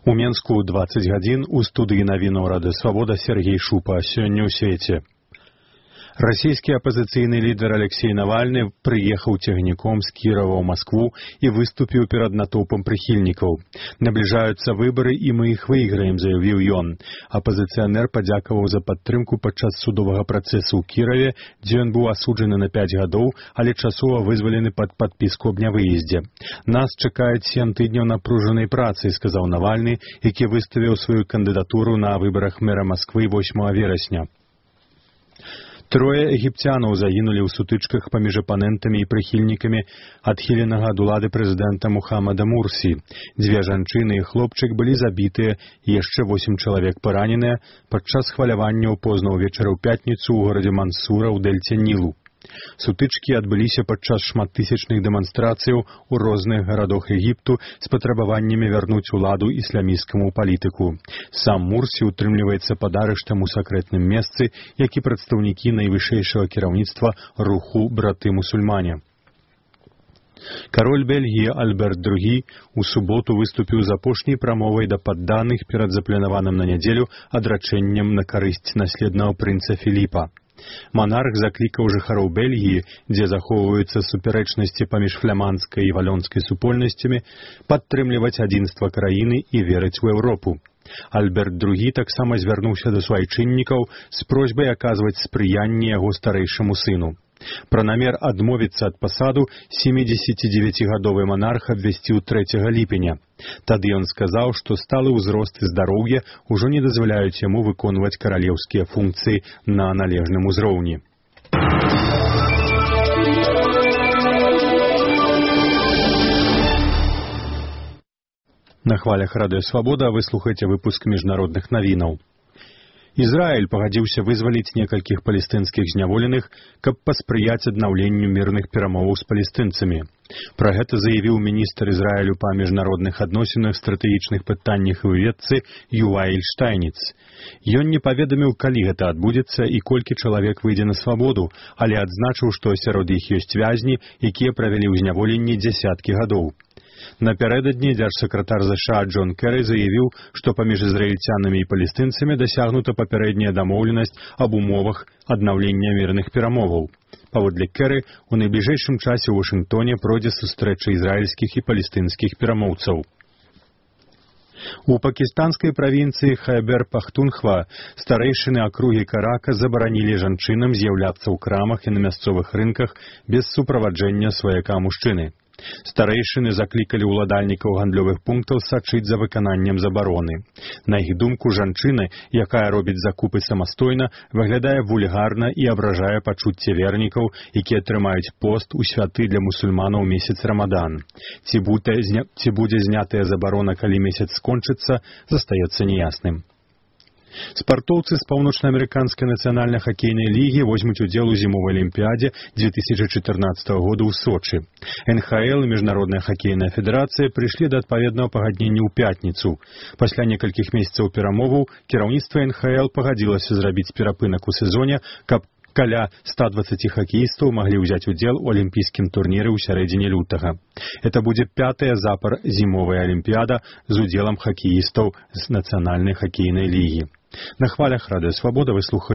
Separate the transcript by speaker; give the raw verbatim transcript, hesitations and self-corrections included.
Speaker 1: У Менску двадцать гадзін у студыі навінаў Рады Свабода Сергей Шупа. Сёння ў свеце. Расійскі апазіцыйны лідар Алексей Навальны прыехаў цягніком з Кірава ў Маскву і выступіў перад натоўпам прыхільнікаў. Набліжаюцца выбары, і мы іх выйграем, заявіў ён. Апазіцыянер падзякаваў за падтрымку падчас судовага працэсу ў Кіраве, дзе ён быў асуджаны на пяць гадоў, але часова вызвалены пад падпіску аб нявыездзе. Нас чакаюць сем тыдняў напружанай працы, сказаў Навальны, які выставіў сваю кандыдатуру на выбарах мэра Масквы восьмага верасня. Трое егіпцянаў загінулі ў сутычках паміж апанентамі і прыхільнікамі адхіленага ад улады прэзідэнта Мухаммада Мурсі. Дзве жанчыны і хлопчык былі забітыя, і яшчэ восем чалавек параненыя падчас хваляванняў позна ўвечары ў пятніцу ў горадзе Мансура ў дэльце Нілу. Сутычкі адбыліся падчас шматтысячных дэманстрацыяў у розных гарадах Егіпту з патрабаваннямі вярнуць уладу ісламісцкаму палітыку. Сам Мурсі утрымліваецца пад арыштам у сакрэтным месцы, як і прадстаўнікі найвышэйшага кіраўніцтва руху браты-мусульмане. Кароль Бельгіі Альберт другі у суботу выступіў з апошняй прамовай да падданых перад запланаваным на нядзелю адрачэннем на карысць наследнага прынца Філіпа. Манарх заклікаў жыхароў Бельгіі, дзе захоўваюцца супярэчнасці паміж фламандскай і валёнскай супольнасцямі, падтрымліваць адзінства краіны і верыць у Еўропу. Альберт другі таксама звярнуўся да суайчыннікаў з просьбай аказваць спрыянне яго старэйшаму сыну. Пра намер адмовіцца ад пасаду сямідзесяцідзевяцігадовы манарх абвясціў трэцяга ліпеня. Тады ён сказаў, што сталы ўзрост і здароўе ўжо не дазваляюць яму выконваць каралеўскія функцыі на належным узроўні. На хвалях Радыё Свабода вы слухаеце выпуск міжнародных навінаў. Ізраіль пагадзіўся вызваліць некалькіх палестынскіх зняволеных, каб паспрыяць аднаўленню мірных перамоваў з палестынцамі. Пра гэта заявіў міністр Ізраілю па міжнародных адносінах, стратэгічных пытаннях і выведцы Юваэль Штайніц. Ён не паведаміў, калі гэта адбудзецца і колькі чалавек выйдзе на свабоду, але адзначыў, што сярод іх ёсць вязні, якія правялі ў зняволенні дзясяткі гадоў. Напярэдадні дзяржсакратар ЗША Джон Кэры заявіў, што паміж ізраільцянамі і палестынцамі дасягнута папярэдняя дамоўленасць аб умовах аднаўлення мірных перамоваў. Паводле Кэры, у найбліжэйшым часе ў Вашынгтоне пройдзе сустрэча ізраільскіх і палестынскіх перамоўцаў. У пакістанскай правінцыі Хайбер-Пахтунхва старэйшыны акругі Карака забаранілі жанчынам з'яўляцца ў крамах і на мясцовых рынках без суправаджэння сваяка мужчыны. Старэйшыны заклікалі ўладальнікаў гандлёвых пунктаў сачыць за выкананнем забароны. На іх думку, жанчына, якая робіць закупы самастойна, выглядае вульгарна і абражае пачуцце вернікаў, якія трымаюць пост у святы для мусульманаў месяц Рамадан. Ці будзе, ці будзе знятая забарона, калі месяц скончыцца, застаецца неясным. Спартоўцы з паўночнаамерыканскай нацыянальнай хакейнай лігі возьмуць удзел у зімовай алімпіядзе дзве тысячы чатырнаццатага года ў Сочы. эн ха эл і Міжнародная хакейная федэрацыя прыйшлі да адпаведнага пагаднення ў пятніцу. Пасля некалькіх месяцаў перамоваў кіраўніцтва эн ха эл пагадзілася зрабіць перапынак у сезоне, каб каля ста дваццаці хакеістаў маглі ўзяць удзел у алімпійскім турніры ў сярэдзіне лютага. Это будзе пятая запар зімовая алімпіяда з удзелам хакеістаў з нацыянальнай хакейнай лігі. На хвалях Радыё Свабода вы слухаеце